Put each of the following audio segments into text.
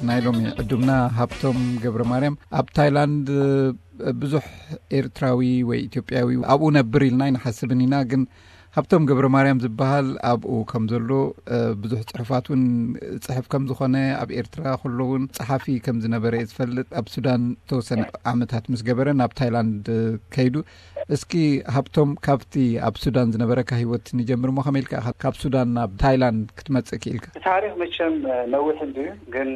ናይ ሎሚ ዕዱምና ሃብቶም ገብረ ማርያም ኣብ ታይላንድ ብዙሕ ኤርትራዊ ወይ ኢትዮጵያዊ ኣብኡ ነብር ኢልና ኣይንሓስብን ኢና። ግን ሃብቶም ገብረ ማርያም ዝበሃል ኣብኡ ከም ዘሎ፣ ብዙሕ ጽሑፋት እውን ጽሕፍ ከም ዝኾነ፣ ኣብ ኤርትራ ከሎ እውን ጸሓፊ ከም ዝነበረ እየ ዝፈልጥ። ኣብ ሱዳን ተወሰነ ዓመታት ምስ ገበረ ናብ ታይላንድ ከይዱ። እስኪ ሃብቶም፣ ካብቲ ኣብ ሱዳን ዝነበረካ ህይወት ንጀምር እሞ፣ ከመይ ኢልካ ኢኻ ካብ ሱዳን ናብ ታይላንድ ክትመጽእ ክኢልካ? ታሪኽ መቸም ነዊሕ እንድዩ፣ ግን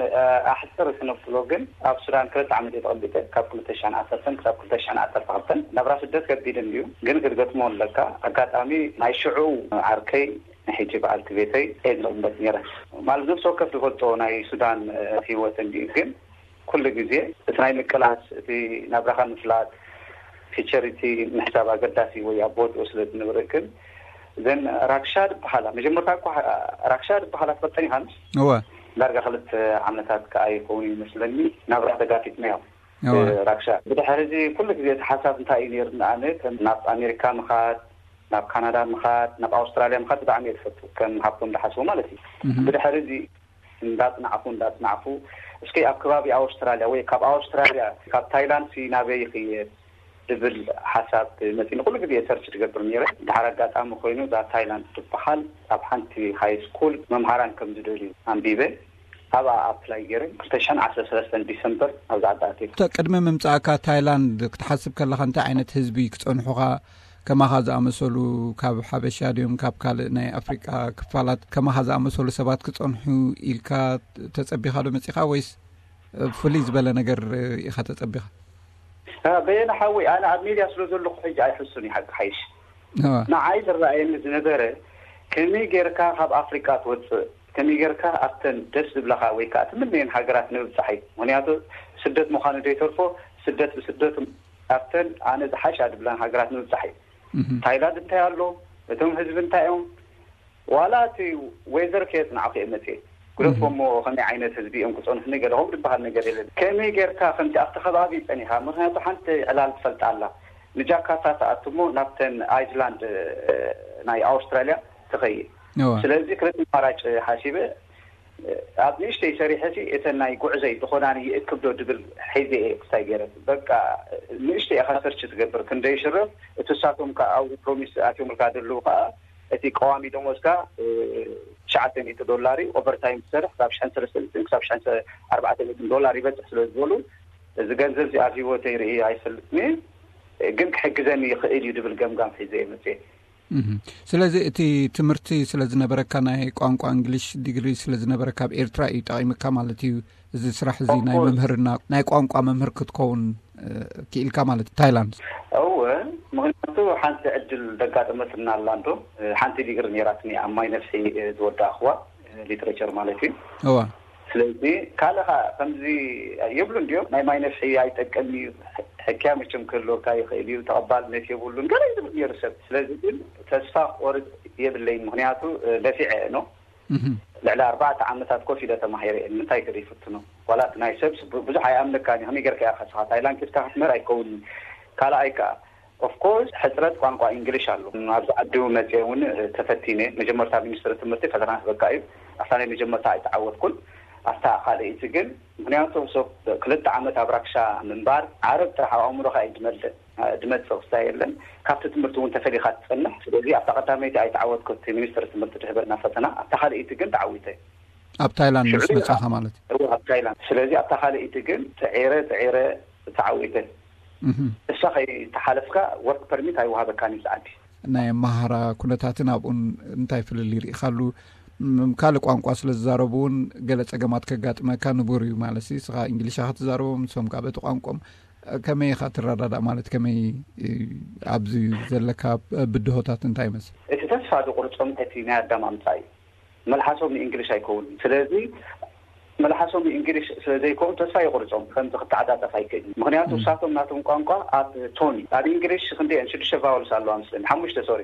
ኣሕጽር ክነብሎ ግን ኣብ ሱዳን ክልተ ዓመት እየ ተቐቢጠ፣ ካብ ክልተ ሽሕን ዓሰርተን ክሳብ ክልተ ሽሕን ዓሰርተ ክልተን። ናብራ ስደት ከቢድ እንድዩ፣ ግን ክትገጥሞ ኣለካ። ኣጋጣሚ ናይ ሽዑ ዓርከይ፣ ንሕጂ በዓልቲ ቤተይ እየ ዝቕመጥ ነይረ። ማለት ነፍሲ ወከፍ ዝፈልጦ ናይ ሱዳን ህይወት እንድዩ፣ ግን ኩሉ ግዜ እቲ ናይ ምቅላስ፣ እቲ ናብራኻ ምፍላጥ፣ ፊቸሪቲ ምሕሳብ ኣገዳሲ ወይ ኣብ ቦትኡ ስለ ዝንብርክን። ዘን ራክሻ ዝበሃላ፣ መጀመርታ እኳ ራክሻ ዝበሃላ ትፈልጠን ኢኻ? እወ። ዳርጋ ክልተ ዓመታት ከኣ ይኸውን ይመስለኒ ናብራ ተጋፊጥናዮ። እወ። ራክሻ። ብድሕሪ እዚ ኩሉ ግዜ እቲ ሓሳብ እንታይ እዩ ነይሩ? ንኣነ ከም ናብ ኣሜሪካ ምኻድ፣ ናብ ካናዳ ምኻድ፣ ናብ ኣውስትራልያ ምኻድ ብጣዕሚ እየ ዝፈቱ፣ ከም ሃብቶም ዝሓስቡ ማለት እዩ። ብድሕሪ እዚ እንዳጽናዕፉ እንዳጽናዕፉ፣ እስኪ ኣብ ከባቢ ኣውስትራልያ ወይ ካብ ኣውስትራልያ፣ ካብ ታይላንድ ሲ ናበይ ይኽየድ ዝብል ሓሳብ መጺኒ። ኩሉ ግዜ ሰርች ዝገብር ነይረ። ድሓር ኣጋጣሚ ኮይኑ እዛ ታይላንድ ትበሃል ኣብ ሓንቲ ሃይ ስኩል መምሃራን ከም ዝደልዩ ኣንቢበ፣ ኣብኣ ኣፕላይ ገይረ። ክልተ ሽሕን ዓሰርተ ሰለስተን ዲሰምበር ኣብዚ ዓዲ ኣትየ። ቅድሚ ምምጻእካ ታይላንድ ክትሓስብ ከለኻ እንታይ ዓይነት ህዝቢ ክጸንሑኻ? ከማኻ ዝኣመሰሉ ካብ ሓበሻ ድዮም ካብ ካልእ ናይ ኣፍሪቃ ክፋላት ከማኻ ዝኣመሰሉ ሰባት ክጸንሑ ኢልካ ተጸቢኻ ዶ መጺኻ ወይስ ፍልይ ዝበለ ነገር ኢኻ ተጸቢኻ? በየነ ሓወይ፣ ኣነ ኣብ ሜድያ ስለ ዘለኹ ሕጂ ኣይሕሱን እዩ ሓቂ ሓይሽ። ንዓይ ዝረኣየኒ ዝነበረ ከመይ ጌርካ ካብ ኣፍሪቃ ትወፅእ፣ ከመይ ጌርካ ኣብተን ደስ ዝብለኻ ወይ ከዓ ትምነየን ሃገራት ንምብፃሕ እዩ። ምክንያቱ ስደት ምዃኑ ዘይተርፎ ስደት ብስደቱ ኣብተን ኣነ ዝሓሻ ዝብለን ሃገራት ንምብፃሕ እዩ። ታይላንድ እንታይ ኣሎ፣ እቶም ህዝቢ እንታይ እዮም፣ ዋላ እቲ ዌዘር ከየፅናዕኩ እየ መፅየ። ግደፎ እሞ ከመይ ዓይነት ህዝቢ እዮም ክፀንሑኒ ገለኹም ዝበሃል ነገር የለን። ከመይ ጌርካ ከምቲ ኣብቲ ከባቢ ፀኒኻ፣ ምክንያቱ ሓንቲ ዕላል ትፈልጣ ኣላ፣ ንጃካርታ ትኣቱ እሞ ናብተን ኣይስላንድ ናይ ኣውስትራልያ ትኸይድ። ስለዚ ክልተ ኣማራጭ ሓሲበ ኣብ ንእሽተይ ሰሪሐ ሲ እተን ናይ ጉዕዘይ ዝኾናኒ ይእክብ ዶ ድብል ሒዘ እየ ክስታይ ገይረ። በቃ ንእሽተይ ኢኻ ሰርች ትገብር ክንደይ ሽረፍ እቲ ሳቶም ከዓ ኣብኡ ፕሮሚስ ኣትዮምልካ ደለዉ ከዓ እቲ ቀዋሚ ደሞዝካ ትሽዓተ ሚእቲ ዶላር እዩ። ኦቨርታይም ትሰርሕ ካብ ሽሕን ሰለስተ ሚእትን ክሳብ ሽሕን ኣርባዕተ ሚእትን ዶላር ይበፅሕ ስለ ዝበሉ እዚ ገንዘብ እዚ ኣብ ህይወተይ ርኢ ኣይፈልጥን እየ። ግን ክሕግዘኒ ይኽእል እዩ ድብል ገምጋም ሒዘ እየ መፅየ። ስለዚ እቲ ትምህርቲ ስለ ዝነበረካ ናይ ቋንቋ እንግሊሽ ዲግሪ ስለ ዝነበረካ ኣብ ኤርትራ እዩ ጠቒምካ ማለት እዩ። እዚ ስራሕ እዚ ናይ መምህርና ናይ ቋንቋ መምህር ክትከውን ክኢልካ ማለት ታይላንድ። እወ፣ ምክንያቱ ሓንቲ ዕድል ደጋጠመትና ኣላ እንዶ። ሓንቲ ዲግሪ ነይራትኒ ኣብ ማይ ነፍሒ ዝወዳእኽዋ፣ ሊትሬቸር ማለት እዩ። እዋ። ስለዚ ካልእ ከዓ ከምዚ ይብሉ እንዲዮም፣ ናይ ማይ ነፍሒ ኣይጠቅም እዩ፣ ሕክያ መቸም ክህልወካ ይኽእል እዩ፣ ተቐባልነት የብሉን ገለ ዝብል ነይሩ ሰብ። ስለዚ ግን ተስፋ ክቆርጥ የብለይን፣ ምክንያቱ ነፊዐ እየ ነው። ልዕሊ ኣርባዕተ ዓመታት ኮፍ ኢለ ተማሂረ እየ፣ ንምንታይ ክርኢ ፍትኖ። ዋላ እቲ ናይ ሰብ ብዙሕ ኣይኣምነካን እዩ። ከመይ ጌርካ ኢኻ ስኻ ታይላንድ ኬድካ ክትምህር ኣይከውንን። ካልኣይ ከኣ ኦፍኮርስ ሕፅረት ቋንቋ እንግሊሽ ኣሎ። ኣብዚ ዓዲ እውን መፅየ እውን ተፈቲነ። መጀመርታ ሚኒስትሪ ትምህርቲ ፈተና ክህበካ እዩ። ኣብታ ናይ መጀመርታ ኣይተዓወትኩን። ኣብታ ካልኣይቲ ግን ምክንያቱ ክልተ ዓመት ኣብ ራክሻ ምንባር ዓረብ ጥራሕ ኣብ ኣእምሮኻ እዩ ዝመልእ። ድመፅእ ክስታይ የለን። ካብቲ ትምህርቲ እውን ተፈሊኻ ትፀንሕ። ስለዚ ኣብታ ቀዳመይቲ ኣይተዓወትኩ፣ እቲ ሚኒስትሪ ትምህርቲ ድሕበና ፈተና። ኣብታ ካልኣይቲ ግን ተዓዊተ። ኣብ ታይላንድ ምስ መጻኻ ማለት እዩ? ኣብ ታይላንድ። ስለዚ ኣብታ ካልኣይቲ ግን ተዒረ ተዒረ ተዓዊተ። እሳ ከይተሓለፍካ ወርክ ፐርሚት ኣይወሃበካን እዩ ዝዓዲ። ናይ ኣመሃራ ኩነታትን ኣብኡን እንታይ ፍልል ይርኢኻሉ? ካልእ ቋንቋ ስለ ዝዛረቡ እውን ገለ ጸገማት ከጋጥመካ ንቡር እዩ ማለት እዩ። ስኻ እንግሊሻ ክትዛረቦም ንሶም ካብ እቲ ቋንቋም ከመይ ኢኻ ትረዳዳእ ማለት ከመይ ኣብዚ ዘለካ ብድሆታት እንታይ ይመስል? እቲ ተስፋ ዝቁርጾም እቲ ናይ ኣዳም ኣምጻ እዩ። መልሓሶም ንእንግሊሽ ኣይከውንን። ስለዚ መልሓሶም ንእንግሊሽ ስለ ዘይከውን ተስፋ ይቁርጾም ከምዚ ክተዓጻጸፍ ኣይክእልን። ምክንያቱ እሳቶም ናቶም ቋንቋ ኣብ ቶኒ ኣብ እንግሊሽ ክንደየን ሽዱሽተ ቫውልስ ኣለዋ መስለኒ ሓሙሽተ ሶሪ።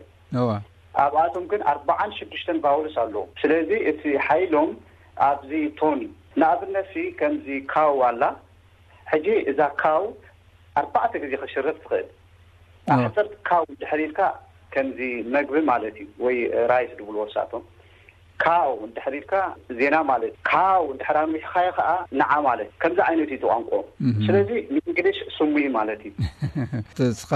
ኣብኣቶም ግን ኣርባዓን ሽዱሽተን ቫውልስ ኣለዎም። ስለዚ እቲ ሓይሎም ኣብዚ ቶኒ ንኣብነት ሲ ከምዚ ካው ኣላ። ሕጂ እዛ ካው ኣርባዕተ ግዜ ክሽረፍ ትኽእል። ኣሕፅርት ካው ድሕር ኢልካ ከምዚ መግቢ ማለት እዩ ወይ ራይስ ድብልዎ እሳቶም። ካው እንድሕር ኢልካ ዜና ማለት፣ ካው እንድሕር ኣንዊሕኻዮ ከዓ ንዓ ማለት፣ ከምዚ ዓይነት እዩ እቲ ቋንቋ። ስለዚ ንእንግሊሽ ስሙ እዩ ማለት እዩ። እስኻ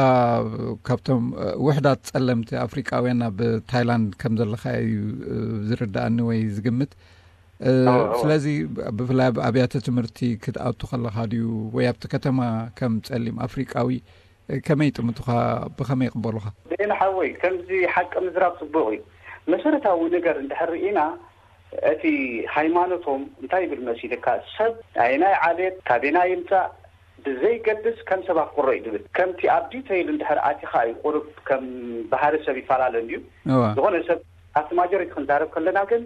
ካብቶም ውሕዳት ጸለምቲ ኣፍሪቃውያን ኣብ ታይላንድ ከም ዘለኻ እዩ ዝርዳእኒ ወይ ዝግምት። ስለዚ ብፍላይ ኣብ ኣብያተ ትምህርቲ ክትኣቱ ከለኻ ድዩ ወይ ኣብቲ ከተማ ከም ጸሊም ኣፍሪቃዊ ከመይ ይጥምቱኻ? ብኸመይ ይቕበሉኻ? ዜና ሓወይ፣ ከምዚ ሓቂ ምዝራብ ጽቡቕ እዩ። መሰረታዊ ነገር እንድሕር ርኢና፣ እቲ ሃይማኖቶም እንታይ ይብል መሲልካ፣ ሰብ ኣየናይ ዓሌት ካበየናይ ይምጻእ ብዘይገድስ ከም ሰባት ክረዩ ዝብል፣ ከምቲ ኣብ ዲተይል እንድሕር ኣቲኻ እዩ ቁሩብ ከም ባህሪ ሰብ ይፈላለ እንድዩ። ዝኾነ ሰብ ኣብቲ ማጆሪቲ ክንዛረብ ከለና ግን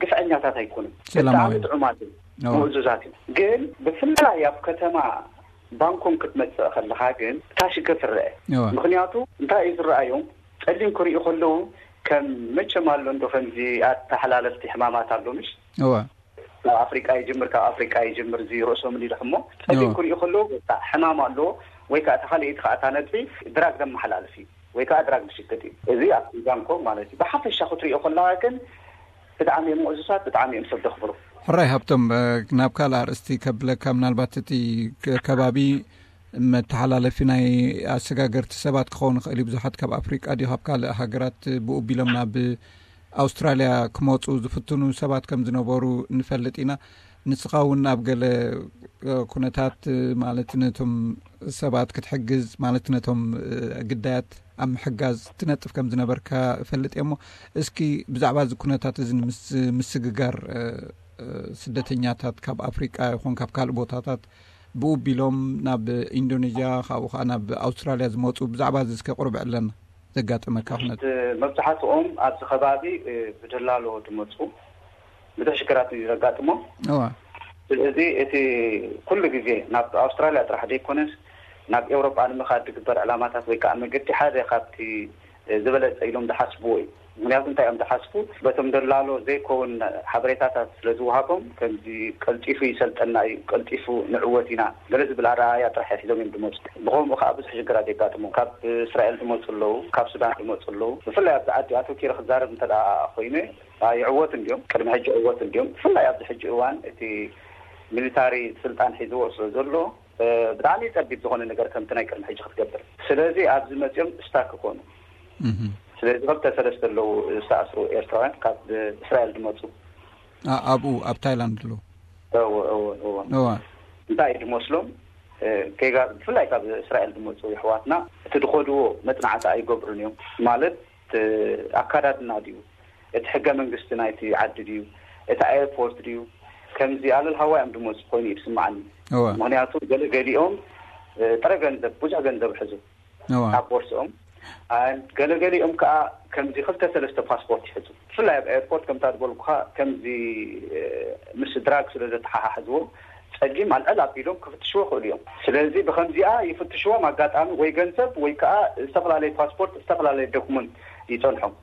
ግፍዐኛታት ኣይኮኑን። ብጣዕሚ ጥዑማት እዩ፣ ምእዙዛት እዩ። ግን ብፍላይ ኣብ ከተማ ባንኮም ክትመጽእ ከለኻ ግን እታ ሽግር ትረአ። ምክንያቱ እንታይ እዩ ዝረኣዮም? ጸሊም ክርእዩ ከለዉ ከም መቸም ኣሎ እንዶ ከምዚ ኣተሓላለፍቲ ሕማማት ኣሎ ምሽ? ኣብ ኣፍሪቃ ይጅምር፣ ካብ ኣፍሪቃ ይጅምር እዚ ርእሶም እንዲሉ ሕሞ ጸሊም ክርእዩ ከለዉ በቃ ሕማም ኣለዎ ወይ ከዓ እታ ካልኣይቲ ከዓ እታ ነጥቢ ድራግ ዘመሓላልፍ እዩ ወይ ከዓ ድራግ ዝሽቅጥ እዩ። እዚ ኣብ ባንኮም ማለት እዩ። ብሓፈሻ ክትርእዮ ከለኻ ግን ብጣዕሚ እዮም ምእዙዛት፣ ብጣዕሚ እዮም ሰብ ደኽብሩ። ሕራይ ሃብቶም፣ ናብ ካልእ ኣርእስቲ ከብለካ፣ ምናልባት እቲ ከባቢ መተሓላለፊ ናይ ኣሰጋገርቲ ሰባት ክኸውን ይኽእል እዩ። ብዙሓት ካብ ኣፍሪቃ ድዩ ካብ ካልእ ሃገራት ብኡ ቢሎም ናብ ኣውስትራልያ ክመፁ ዝፍትኑ ሰባት ከም ዝነበሩ ንፈልጥ ኢና። ንስኻ እውን ኣብ ገለ ኩነታት ማለት ነቶም ሰባት ክትሕግዝ ማለት ነቶም ግዳያት ኣብ ምሕጋዝ ትነጥፍ ከም ዝነበርካ እፈልጥ እየ። እሞ እስኪ ብዛዕባ እዚ ኩነታት እዚ ንምስ- ምስግጋር ስደተኛታት ካብ ኣፍሪቃ ይኹን ካብ ካልእ ቦታታት ብኡ ቢሎም ናብ ኢንዶኔዥያ ካብኡ ከዓ ናብ ኣውስትራልያ ዝመፁ ብዛዕባ እዚ እስከ ቁርብ ዕለና ዘጋጠመካ ኩነት። መብዛሕትኦም ኣብዚ ከባቢ ብደላሎ ዝመፁ ብዙሕ ሽግራት እዩ ዘጋጥሞም። ስለዚ እቲ ኩሉ ግዜ ናብ ኣውስትራልያ ጥራሕ ዘይኮነስ ናብ ኤውሮጳ ንምኻድ ዝግበር ዕላማታት ወይ ከዓ መገዲ ሓደ ካብቲ ዝበለፀ ኢሎም ዝሓስብዎ እዩ። ምክንያቱ እንታይ እዮም ዝሓስቡ? በቶም ደላሎ ዘይከውን ሓበሬታታት ስለ ዝወሃቦም ከምዚ ቀልጢፉ ይሰልጠና እዩ፣ ቀልጢፉ ንዕወት ኢና ገለ ዝብል ኣረኣያ ጥራሕ ሒዞም እዮም ዝመፁ። ብኸምኡ ከዓ ብዙሕ ሽግራት የጋጥሞም። ካብ እስራኤል ዝመፁ ኣለዉ፣ ካብ ሱዳን ዝመፁ ኣለዉ። ብፍላይ ኣብዚ ዓዲ ኣተኪረ ክዛረብ እንተ ደኣ ኮይነ ይዕወት እንዲዮም፣ ቅድሚ ሕጂ ዕወት እንዲዮም። ብፍላይ ኣብዚ ሕጂ እዋን እቲ ሚሊታሪ ስልጣን ሒዝዎ ስለ ዘሎ ብጣዕሚ ጸቢብ ዝኾነ ነገር ከምቲ ናይ ቅድሚ ሕጂ ክትገብር። ስለዚ ኣብዚ መጺኦም ስታክ ይኾኑ። ስለዚ ክልተ ሰለስተ ኣለዉ ዝተኣስሩ ኤርትራውያን ካብ እስራኤል ዝመጹ። ኣብኡ ኣብ ታይላንድ ኣለዉ። እንታይ እዩ ዝመስሎም? ጌጋ ብፍላይ ካብ እስራኤል ዝመጹ ኣሕዋትና እቲ ዝኸድዎ መጽናዕቲ ኣይገብሩን እዮም። ማለት ኣካዳድና ድዩ፣ እቲ ሕገ መንግስቲ ናይቲ ዓዲ ድዩ፣ እቲ ኤርፖርት ድዩ፣ ከምዚ ኣለል ሃዋይ እዮም ዝመፁ ኮይኑ እዩ ዝስማዓኒ። ምክንያቱ ገለ ገሊኦም ጥረ ገንዘብ፣ ብዙሕ ገንዘብ ሕዙ ኣብ ቦርስኦም፣ ገለገሊኦም ከዓ ከምዚ ክልተ ሰለስተ ፓስፖርት ይሕዙ። ብፍላይ ኣብ ኤርፖርት ከምታ ዝበልኩካ ከምዚ ምስ ድራግ ስለ ዘተሓሓዝዎ ጸሊም ኣልዕል ኣቢሎም ክፍትሽዎ ይኽእሉ እዮም። ስለዚ ብከምዚኣ ይፍትሽዎም ኣጋጣሚ ወይ ገንዘብ ወይ ከዓ ዝተፈላለዩ ፓስፖርት፣ ዝተፈላለዩ ዶክመንት ይጸንሖም።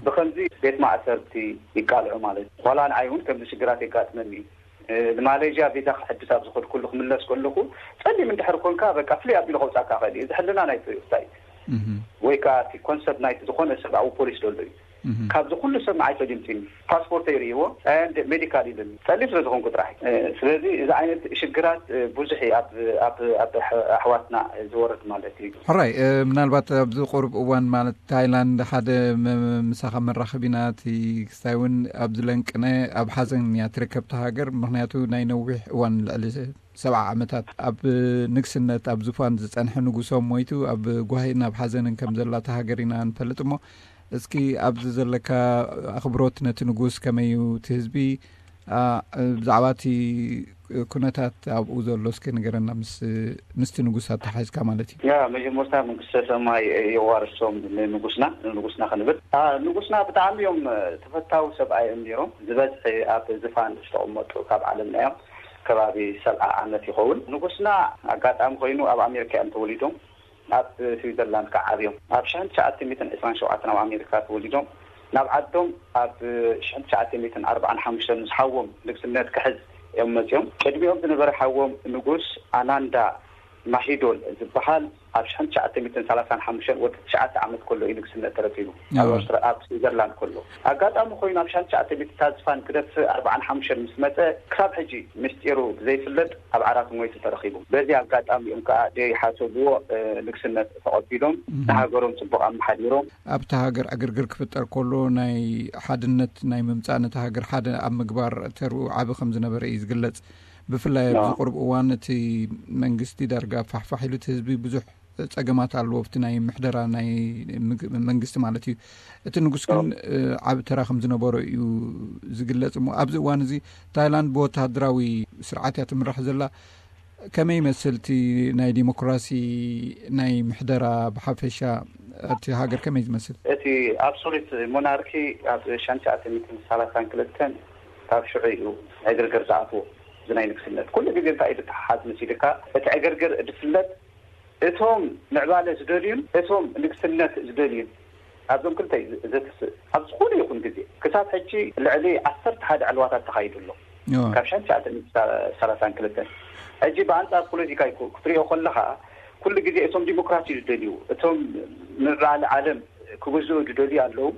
ብከምዚ ቤት ማእሰርቲ ይቃልዑ ማለት እዩ። ዋላ ንዓይ እውን ከምዚ ሽግራት የጋጥመኒ እዩ። ንማሌዥያ ቪዛ ክሕድስ ኣብ ዝኸድኩሉ ክምለስ ከለኹ ጸሊም እንድሕር ኮንካ በቃ ፍሉይ ኣቢሉ ከውጻካ ይኽእል እዩ። እዚ ሕልና ናይ ቱሪስት እዩ። ወይ ከዓ እቲ ኮንሰርት ናይቲ ዝኾነ ሰብኣዊ ፖሊስ ዘሎ እዩ። ካብዚ ኩሉ ሰብ ንዓይ ፈሊምቲኒ ፓስፖርተይ ርእይዎ ሜዲካል ኢሉኒ ጸሊም ስለ ዝኾንኩ ጥራሕ። ስለዚ እዚ ዓይነት ሽግራት ብዙሕ እዩ ኣብ ኣሕዋትና ዝወርድ ማለት እዩ። ሕራይ ምናልባት ኣብዚ ቁሩብ እዋን ማለት ታይላንድ ሓደ ምሳኻ መራኸብ ኢና እቲ ክስታይ እውን ኣብዚ ለንቅነ ኣብ ሓዘን እያ ትርከብቲ ሃገር። ምክንያቱ ናይ ነዊሕ እዋን ልዕሊ ሰብዓ ዓመታት ኣብ ንግስነት ኣብ ዙፋን ዝጸንሐ ንጉሶም ሞይቱ ኣብ ጓሂን ኣብ ሓዘንን ከም ዘላ እታ ሃገር ኢና ንፈልጥ። እሞ እስኪ ኣብዚ ዘለካ ኣኽብሮት ነቲ ንጉስ ከመይ እዩ? እቲ ህዝቢ ብዛዕባ እቲ ኩነታት ኣብኡ ዘሎ እስኪ ንገረና፣ ምስቲ ንጉስ ኣተሓሒዝካ ማለት እዩ። ያ መጀመርታ መንግስተ ሰማይ የዋርሶም ንንጉስና ንንጉስና ክንብል። ንጉስና ብጣዕሚ እዮም ተፈታዊ ሰብኣይ እዮም ነይሮም። ዝበዝሒ ኣብ ዝፋን ዝተቐመጡ ካብ ዓለምና እዮም። ከባቢ ሰብዓ ዓመት ይኸውን። ንጉስና ኣጋጣሚ ኮይኑ ኣብ ኣሜሪካ እዮም ተወሊዶም። ኣብ ስዊዘርላንድ ከዓ ዓብዮም። ኣብ ሽሕን ትሽዓተ ሚእትን ዕስራን ሸውዓተን ኣብ ኣሜሪካ ተወሊዶም። ናብ ዓዶም ኣብ ሽሕን ትሽዓተ ሚእትን ኣርባዓን ሓሙሽተን ምስ ሓዎም ንግስነት ክሕዝ እዮም መፅዮም። ቅድሚኦም ዝነበረ ሓዎም ንጉስ ኣናንዳ ማሂዶል ዝበሃል ኣብ ሽሕን ትሽዓተ ሚእትን ሰላሳን ሓሙሽተን ወዲ ትሽዓተ ዓመት ከሎ እዩ ንግስነት ተረኪቡ። ኣብ ኣዎ። ኣውስትራ-፣ ኣብ ስዊዘርላንድ ከሎ። ኣጋጣሚ ኮይኑ ኣብ ሽሕን ትሽዓተ ሚእትን ታዝፋን ክደፍእ ኣርባዓን ሓሙሽተን ምስ መጸ፣ ክሳብ ሕጂ ምስጢሩ ዘይፍለጥ ኣብ ዓራት ሞይቱ ተረኺቡ። በዚ ኣጋጣሚ እዮም ከኣ ደይሓሰብዎ፣ እ፣ ንግስነት ተቐቢሎም፣ እህ። ንሃገሮም ጽቡቕ ኣመሓዲሮም። ኣብታ ሃገር ዕግርግር ክፍጠር ከሎ ናይ ሓድነት ናይ ምምጻእ ነታ ሃገር ሓደ ኣብ ምግባር ተርኡ ዓቢ ከም ዝነበረ እዩ ዝግለጽ። ብፍላይ ኣብዚ ኖ። ቁሩብ እዋን እቲ መንግስቲ ዳርጋ ፋሕፋሕ ኢሉ እቲ ህዝቢ ብዙሕ ጸገማት ኣለዎ ኣብቲ ናይ ምሕደራ ናይ ምግ-፣ መንግስቲ ማለት እዩ። እቲ ንጉስ ግን፣ ኖ። እ፣ ዓቢ ተራ ከም ዝነበሮ እዩ ዝግለጽ እሞ ኣብዚ እዋን እዚ ታይላንድ ብወተሃደራዊ ስርዓት እያ ትምራሕ ዘላ። ከመይ ይመስል እቲ ናይ ዲሞክራሲ ናይ ምሕደራ ብሓፈሻ እቲ ሃገር ከመይ ዝመስል? እቲ ኣብሶሉት ሞናርኪ ኣብ ሽሕን ትሽዓተ ሚእትን ሰላሳን ክልተን ካብ ሽዑ እዩ ዕግርግር ዝኣትዎ። እዚ ናይ ንግስነት ኩሉ ግዜ እንታይ እዩ ዝተሓሓዝ መሲልካ፣ እቲ ዕግርግር ዝፍለጥ እቶም ምዕባለ ዝደልዩን እቶም ንግስነት ዝደልዩን ኣብዞም ክልተ እዩ ዝ-፣ ዘትስእ። ኣብ ዝኾነ ይኹን ግዜ ክሳብ ሕጂ ልዕሊ ዓሰርተ ሓደ ዕልዋታት ተኻይዱ ኣሎ። እዋ። ካብ ሽሕን ትሽዓተ ሚእትን ሰላሳን ክልተን። ሕጂ ብኣንጻር ፖለቲካ ይኩ-፣ ክትሪኦ ከለኻ ኩሉ ግዜ እቶም ዲሞክራሲ ዝደልዩ፣ እቶም ምዕባለ ዓለም ክግዝኡ ዝደልዩ ኣለዉ።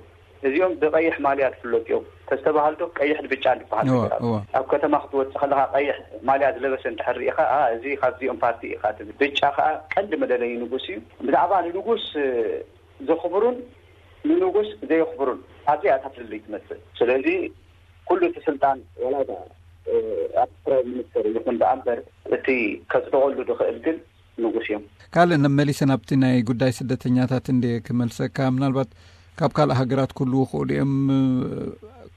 እዚኦም ብቀይሕ ማልያ ዝፍለጡ እዮም። ተስተባሃልዶ ቀይሕ ብጫ ዝበሃል እዋ፣ ነገር ኣሎ። እዋ። ኣብ ከተማ ክትወጽእ ከለኻ ቀይሕ ማልያ ዝለበሰ እንድሕር ርኢኻ፣ "ኣ፣ እዚ ካብዚኦም ፓርቲ ኢኻ" ትብል። ብጫ ከኣ ቀንዲ መለለዪ ንጉስ እዩ። ብዛዕባ ንንጉስ፣ እ፣ ዘኽብሩን ንንጉስ ዘየኽብሩን ኣብዚኣ እታ ፍልልይ ትመጽእ። ስለዚ ኩሉ እቲ ስልጣን ወላ እታ፣ እ፣ ኣብ ፕራይም ሚኒስተር ይኹን ደኣ እምበር እቲ ከጽድቐሉ ዝኽእል ግን ንጉስ እዮም። ካልእ መሊሰ ናብቲ ናይ ጉዳይ ስደተኛታት እንደ ክመልሰካ፣ ምናልባት ካብ ካልእ ሃገራት ክህልዉ ይኽእሉ እዮም።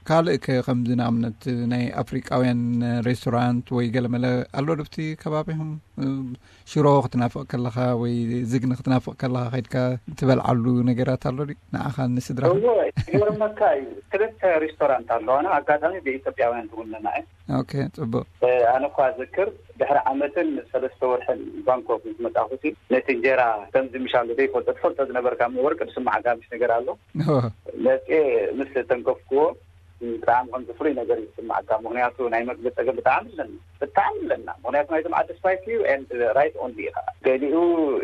ካልእ ከ ከምዚ ንኣብነት ናይ ኣፍሪቃውያን ሬስቶራንት ወይ ገለመለ ኣሎ ዶ ኣብቲ ከባቢኹም? ሽሮ ክትናፍቕ ከለኻ ወይ ዝግኒ ክትናፍቕ ከለኻ ከይድካ ትበልዓሉ ነገራት ኣሎ ድዩ? ንዓኻን ንስድራኻን? እወ፣ ይገርመካ እዩ። ክልተ ሬስቶራንት ኣለዋና። ኣጋጣሚ ብኢትዮጵያውያን ዝውነና እየን። ኦኬ፣ ጽቡቕ። እ፣ ኣነ እኳ ዝክር ድሕሪ ዓመትን ሰለስተ ወርሕን ባንኮክ ምስ መጻኹ፣ ነቲ እንጀራ ከምዚ ምሻሉ ዘይፈልጦ፣ ትፈልጦ ዝነበርካ እሞ ወርቂ ዝስማዓካ ምሽ ነገር ኣሎ። እወ። መጽኤ ምስ ተንከፍክዎ፣ ብጣዕሚ ከምዚ ፍሉይ ነገር እዩ ዝስማዓካ። ምኽንያቱ ናይ መግቢ ጸገም ብጣዕሚ ኣለና፣ ብጣዕሚ ኣለና። ምኽንያቱ ናይዞም ዓዲ ስፓይስ እዩ፣ and right only ኢኻ። ገሊኡ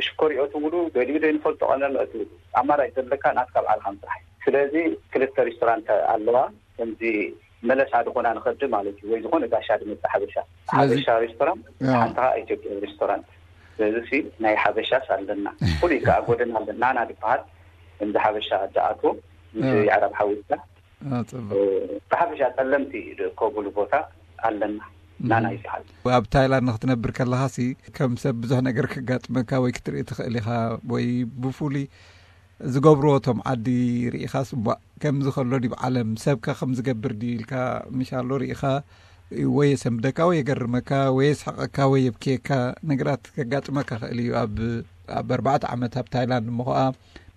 ሽኮር ይእትውሉ፣ ገሊኡ ዘይንፈልጦ ቀመም ይእትውሉ። ኣማራጭ ዘለካ ናትካ ባዕልኻ ምስራሕ። ስለዚ ክልተ ሬስቶራንት ኣለዋ። ከምዚ መለሳ ዝኾና ንኸዲ ማለት እዩ፣ ወይ ዝኾነ ጋሻ ዝመጽእ ሓበሻ። ስለዚ ሓበሻ ሬስቶራንት፣ ያ። ሓንቲ ኸኣ ኢትዮጵያ ሬስቶራንት። ስለዚ ሲ ናይ ሓበሻስ ኣለና። ፍሉይ ከኣ ጎደና ኣለና፣ ናና ዝበሃል፣ ከምዚ ሓበሻ ዝኣትዎ፣ ምስ ያ። የዕራብ ሓዊስካ። አ፣ ጽቡቕ። እ፣ ብሓፈሻ ጸለምቲ ዝእከብሉ ቦታ ኣለና፣ ናና እም። ይበሃል። ኣብ ታይላንድ ንክትነብር ከለኻሲ፣ ከም ሰብ ብዙሕ ነገር ከጋጥመካ ወይ ክትርኢ ትኽእል ኢኻ፣ ወይ ብፍሉይ ዝገብርዎ እቶም ዓዲ ርኢኻስ፣ እምቧእ፣ ከምዚ ከሎ ድዩ ዓለም፣ ሰብከ ከም ዝገብር ድዩ ኢልካ፣ ምሽ ኣሎ ርኢኻ፣ ወይ የሰንብደካ፣ ወይ የገርመካ፣ ወይ የስሕቐካ፣ ወይ የብክየካ፣ ነገራት ከጋጥመካ ክእል እዩ። ኣብ፣ ኣብ ኣርባዕተ ዓመት ኣብ ታይላንድ እሞ ኸኣ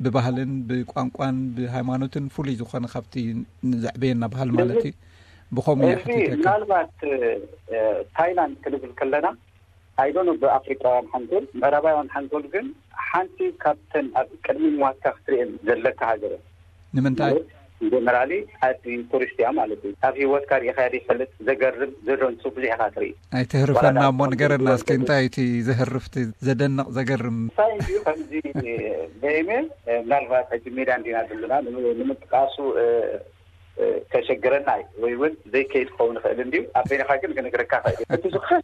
ብባህልን ብቋንቋን ብሃይማኖትን ፍሉይ ዝኾነ ካብቲ ንዘዕበየና ባህሊ ማለት እዩ። ብኸምኡ እየ እዚ ሓቲተካ። ምናልባት፣ እ፣ ታይላንድ ክንብል ከለና፣ ኣይዶኖ ብኣፍሪቃውያን ሓንጎል፣ ምዕራባውያን ሓንጎል ግን ሓንቲ ካብተን ኣብ ቅድሚ ምዋትካ ክትርእየን ዘለካ ሃገር እያ። ንምንታይ? ማለት ጀነራሊ ዓዲ ቱሪስት እያ ማለት እዩ። ኣብ ህይወትካ ርኢኻያ ዘይፈልጥ ዘገርም፣ ዘደንጹ ብዙሕ ኢኻ ትርኢ። ኣይተህርፈና ዋላ እሞ ንገረና እስኪ፣ እንታይ እቲ ዘህርፍ፣ እቲ ዘደንቕ፣ ዘገርም? እንታይ እዩ ከምዚ በይመ፣ ምናልባት ሕጂ ሜዳ እንዲና ዘለና፣ ንምጥቃሱ፣ እ፣ እ፣ ከሸግረና እዩ፣ ወይ እውን ዘይከይድ ክኸውን ይኽእል እንድዩ። ኣብ በይንኻ ግን ክነግረካ ይኽእል እዩ። እቲ ዝኸፍአ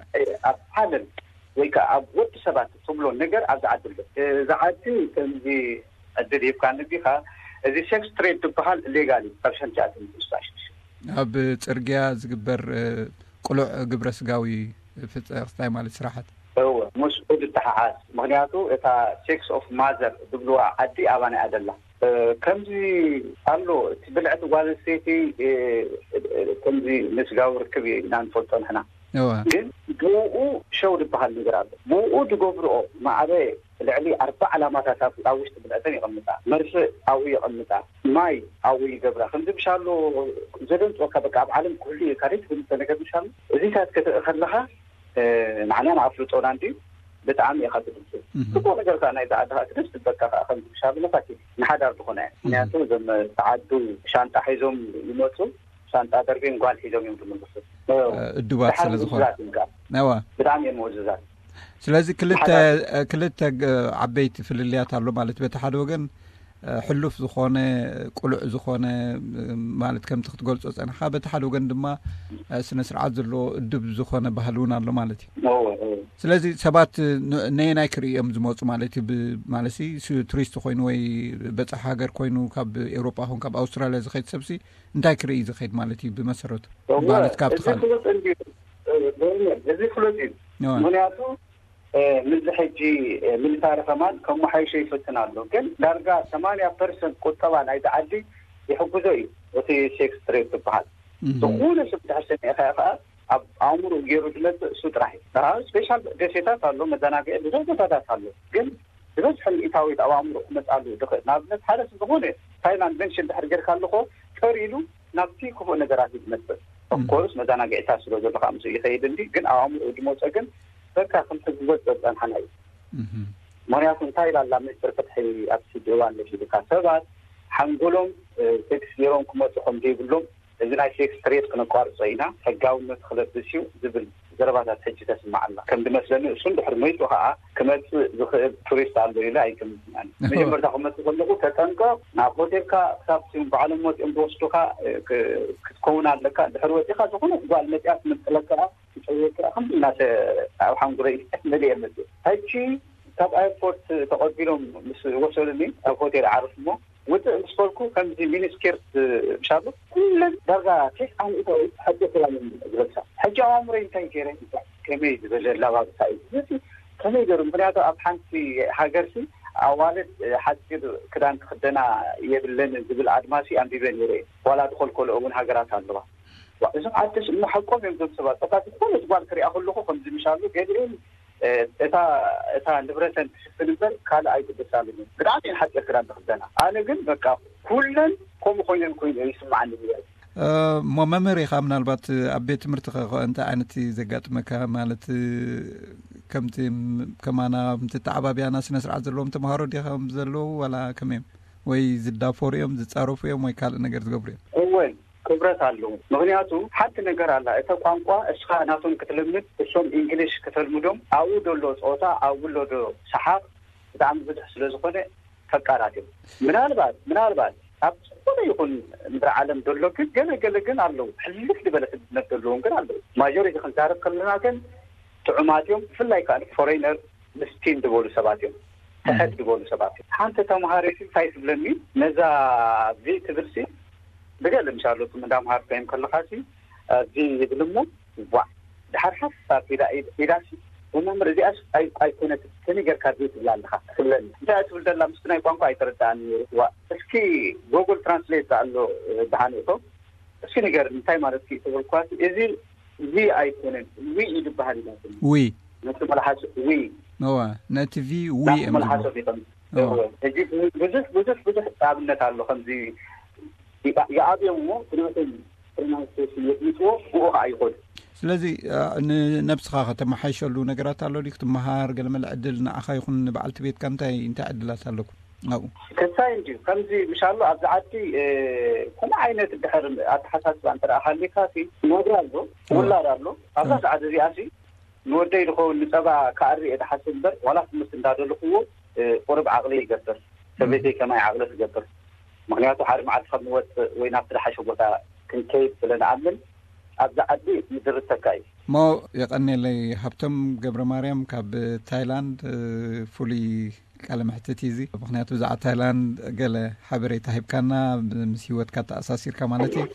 ኣብ ዓለም ወይ ከዓ ኣብ ወዲ ሰባት ትብሎ ነገር ኣብዚ ዓዲ ኣሎ። እዚ ዓዲ ከምዚ ዕድል ሂብካኒ እንዲኻ፣ እዚ ሴክስ ትሬድ ዝበሃል ሌጋል እዩ፣ ካብ ሸንቲኣትን ስሳ ሽዱሽተ። ኣብ ጽርግያ ዝግበር፣ እ፣ ቅሉዕ ግብረ ስጋዊ ፍጸ-፣ ክስታይ ማለት ስራሓት። እወ፣ ምስኡ ዝተሓሓዝ። ምኽንያቱ እታ ሴክስ ኦፍ ማዘር ዝብልዋ ዓዲ ኣባና እያ ዘላ። እ፣ ከምዚ ኣሎ፣ እቲ ብልዕቲ ጓል ኣንስተይቲ፣ እ፣ እ፣ ከምዚ ንስጋዊ ርክብ ኢና ንፈልጦ ንሕና። እወ። ግን ብኡ ሸው ዝበሃል ነገር ኣሎ። ብኡ ዝገብርኦ ማዕበ ልዕሊ ኣርባ ዕላማታት ኣብ፣ ኣብ ውሽጢ ብልዕተን የቐምጣ። መርፍእ ኣብኡ የቐምጣ። ማይ ኣብኡ ይገብራ። ከምዚ ምሽ ኣሎ ዘደንጽወካ፣ በቃ ኣብ ዓለም ክህሉ እዩ፣ ካልእ ትብል ነገር ምሽ ኣሎ። እዚታት ክትርኢ ከለኻ፣ እ፣ ንዓና ንኣፍልጦና እንድዩ ብጣዕሚ ኢኻ ትድንጽ። እህ። ጽቡቕ ነገር ከኣ ናይዛ ዓዲ ከኣ ክደስ ትብለካ ከኣ ከምዚ ምሽ ኣሎ መሳኪን ንሓዳር ዝኾነ እያ። እህ። ምኽንያቱ እዞም ተዓዱ ሻንጣ ሒዞም ይመጹ፣ ሻንጣ ደርብዮም ጓል ሒዞም እዮም ዝምልሱ። እ፣ እዱባት ደሓር ስለ ዝኾነ። ምእዙዛት እዮም ከኣ። እዋ። ብጣዕሚ እዮም ምእዙዛት። ስለዚ ክልተ ክልተ ዓበይቲ ፍልልያት ኣሎ ማለት፣ በቲ ሓደ ወገን ሕሉፍ ዝኾነ፣ ቁሉዕ ዝኾነ፣ ማለት ከምቲ ክትገልጾ ጸንሓ፣ በቲ ሓደ ወገን ድማ ስነ ስርዓት ዘለዎ እዱብ ዝኾነ ባህሊ እውን ኣሎ ማለት እዩ። ስለዚ ሰባት ነየናይ ክርእዮም ዝመፁ ማለት እዩ? ማለት ቱሪስት ኮይኑ ወይ በፃሒ ሃገር ኮይኑ ካብ ኤውሮጳ ኹን ካብ ኣውስትራሊያ ዝኸይድ ሰብሲ እንታይ ክርኢ ዝኸይድ ማለት እዩ? ብመሰረቱ ማለት ካብቲ ካልእ እዚ ፍሉጥ እዩ። ምክንያቱ ምዚ ሕጂ ሚሊታሪ ከማን ከመሓይሾ ይፍትን ኣሎ። ግን ዳርጋ ሰማንያ ፐርሰንት ቁጠባ ናይቲ ዓዲ ይሕግዞ እዩ። እቲ ሴክስ ትሬድ ዝበሃል ዝኾነ ሰብ ድሕር ሰሚዕካ ከዓ ኣብ ኣእምሮ ገይሩ ዝመፅእ እሱ ጥራሕ እዩ። ስፔሻል ደሴታት ኣሎ፣ መዘናግዒ ብዙሕ ቦታታት ኣሎ። ግን ዝበዝሐ ሚእታዊት ኣብ ኣእምሮ ክመፅኣሉ ዝኽእል፣ ንኣብነት ሓደ ዝኾነ ታይላንድ መንሽን ድሕር ጌርካ ኣለኮ ጠር ኢሉ ናብቲ ክፉእ ነገራት እዩ ዝመፅእ። ኦፍኮርስ መዘናግዒታት ስለ ዘሎ ከዓ ምስ ይኸይድ እንዲ፣ ግን ኣብ ኣእምሮ ዝመፀ ግን በቃ ከምቲ ዝወፀ ዝፀንሓና እዩ። ምክንያቱ እንታይ ኢላላ ሚኒስትር ፍትሒ ኣብቲ ጀዋን ነፊልካ ሰባት ሓንጎሎም ሴክስ ገይሮም ክመፁ ከም ዘይብሎም፣ እዚ ናይ ሴክስ ትሬድ ክነቋርፆ ኢና፣ ሕጋውነት ክለብስ እዩ ዝብል ዘረባታት ሕጂ ተስማዕ ኣላ። ከም ዝመስለኒ እሱን ድሕሪ መይፁ ከዓ ክመፅእ ዝኽእል ቱሪስት ኣሎ ኢለ ኣይገምትን። መጀመርታ ክመፅእ ከለኹ ተጠንቀቕ፣ ናብ ሆቴልካ ክሳብ ባዕሎም መፂኦም ዝወስዱካ ክትከውን ኣለካ። ድሕሪ ወፂኻ ዝኾነ ጓል መፂኣ ትምንጥለካ ትፀየካ ከም እናተ ኣብ ሓንጉረይ መሊኤ መፅእ። ሕጂ ካብ ኣየርፖርት ተቐቢሎም ምስ ወሰዱኒ ኣብ ሆቴል ዓርፍ እሞ ውፅእ ምስ በልኩ ከምዚ ሚኒስኬርት ምሻሉ ኩለን ዳርጋ ቴስ ዓን ኢታዊ ሓፂር ክዳን ዝለብሳ። ሕጂ ኣዋምረይ እንታይ ገይረ ከመይ ዝበለ ኣላባብሳ እዩ እዚ ከመይ ገይሩ? ምክንያቱ ኣብ ሓንቲ ሃገርሲ ኣዋልድ ሓፂር ክዳን ክክደና የብለን ዝብል ኣድማሲ ኣንቢበ ነይረ። ዋላ ዝኸልከልኦ እውን ሃገራት ኣለዋ። እዞም ዓደስ እሞ ሓቆም እዮም። እዞም ሰባት በቃ ዝኾነ ጓል ክሪኣ ከለኹ ከምዚ ምሻሉ ገሊኦም እታ እታ ንብረተን ትሽፍን እምበር ካልእ ኣይግደሳሉን። ብጣዕሚ ሓፂር ክዳን ዝኽደና። ኣነ ግን በቃ ኩለን ከምኡ ኮይነን ኮይኑ ይስማዓኒ። እሞ መምህር ኢኻ፣ ምናልባት ኣብ ቤት ትምህርቲ እንታይ ዓይነት ዘጋጥመካ? ማለት ከምቲ ከማና ምትተዓባብያና ስነ ስርዓት ዘለዎም ተምሃሮ ዲኻ ዘለዉ ዋላ ከመዮም? ወይ ዝዳፈሩ እዮም ዝጻረፉ እዮም ወይ ካልእ ነገር ዝገብሩ እዮም? እወን ክብረት ኣለዎ። ምክንያቱ ሓንቲ ነገር ኣላ፣ እተ ቋንቋ እስኻ ናቶም ክትልምድ እሶም ኢንግሊሽ ከተልምዶም ኣብኡ ደሎ ፀወታ ኣብኡ ሎ ዶ ሰሓቅ ብጣዕሚ ብዙሕ ስለ ዝኾነ ፈቃራት እዮም። ምናልባት ምናልባት ኣብ ዝኾነ ይኹን ምድሪ ዓለም ደሎ ግን ገለ ገለ ግን ኣለዉ ሕልፍ ዝበለ ስድነት ዘለዎም ግን ኣለዉ። ማጆሪቲ ክንዛረብ ከለና ግን ጥዑማት እዮም። ብፍላይ ከዓ ፎሬነር ምስኪን ዝበሉ ሰባት እዮም። ትሕት ዝበሉ ሰባት እዮም። ሓንቲ ተምሃሪት እንታይ ትብለኒ ነዛ ቪ ትብል ሲ ብገለ ምሻሉ እንዳምሃር ኮይም ከለኻ ሲ ቪ ይብል እሞ ዋ ድሓር ሓሳብ ኢዳ ኢዳ ሲ መምህር እዚኣስ ኣይኮነት ከመይ ጌርካ ቪ ትብላ ኣለኻ ትብለኒ። እንታይ ትብል ዘላ ምስቲ ናይ ቋንቋ ኣይተረዳእን ነይሩ። ዋ እስኪ ጎግል ትራንስሌት ኣሎ ብሃንእቶ እስኪ ንገር እንታይ ማለት ኪ ትብል ኳ እዚ ዚ ኣይኮነን ዊ እዩ ዝበሃል ኢላትኒ። ዊ ነቲ መልሓስ ዊ እዋ ነቲ ቪ ዊ ናብቲ እዮም ዝብሉ። መልሓሶም ይቐም ሕጂ ብዙሕ ብዙሕ ብዙሕ ኣብነት ኣሎ ከምዚ ይኣብዮም እሞ ብናቶም ፕሮናንሴሽን የድምፅዎ ብኡ ከዓ ይኸዱ። ስለዚ ንነብስኻ ከተመሓይሸሉ ነገራት ኣሎ ድዩ? ክትመሃር ገለመለ ዕድል ንዓኻ ይኹን ንበዓልቲ ቤትካ እንታይ እንታይ ዕድላት ኣለኩም ኣብኡ? ከሳይ እንድዩ ከምዚ ምሻሎ ኣብዚ ዓዲ ከምኡ ዓይነት ድሕር ኣተሓሳስባ እንተ ሃሊካ ሲ ናብራ ኣሎ ውላድ ኣሎ ኣብዛ ሰዓት እዚኣ ሲ ንወደይ ዝኸውን ንፀባ ክኣሪ እየ ዝሓስብ እምበር ዋላ ትምህርቲ እንዳደለኽዎ ቁሩብ ዓቕሊ ይገብር። ሰበይተይ ከማይ ዓቕሊ ትገብር? ምክንያቱ ሓደ መዓልቲ ከም ንወፅእ ወይ ናብቲ ዝሓሸ ቦታ ክንከይድ ስለ ንኣምን ኣብዚ ዓዲ ይድርተካ እዩ። እሞ የቐኔለይ ሃብቶም ገብረ ማርያም ካብ ታይላንድ ፍሉይ ቃለ መሕትት እዩ እዚ። ምክንያቱ ብዛዕባ ታይላንድ ገለ ሓበሬታ ሂብካና ምስ ህይወትካ ተኣሳሲርካ ማለት እዩ።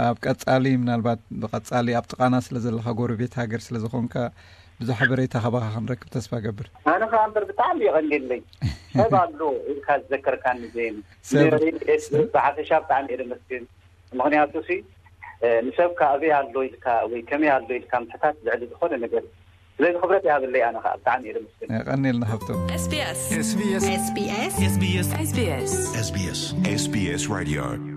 ኣብ ቀፃሊ ምናልባት ብቐፃሊ ኣብ ጥቓና ስለ ዘለኻ ጎረቤት ሃገር ስለ ዝኾንካ ብዙሕ ሓበሬታ ካባኻ ክንረክብ ተስፋ ገብር። ኣነ ከዓ እምበር ብጣዕሚ የቐንየለይ ሰብ ኣሎ ኢልካ ዝዘከርካኒ ዜን ብሓፈሻ ብጣዕሚ እየ ደመስግን። ምክንያቱ ሲ ንሰብካ ኣበይ ኣሎ ኢልካ ወይ ከመይ ኣሎ ኢልካ ምሕታት ልዕሊ ዝኾነ ነገር እዩ። ስለዚ ክብረት ይሃበለይ ኣነ ከዓ ብጣዕሚ እየ ደመስግን። ቀኒልና ሃብቶም። SBS SBS SBS SBS SBS SBS SBS Radio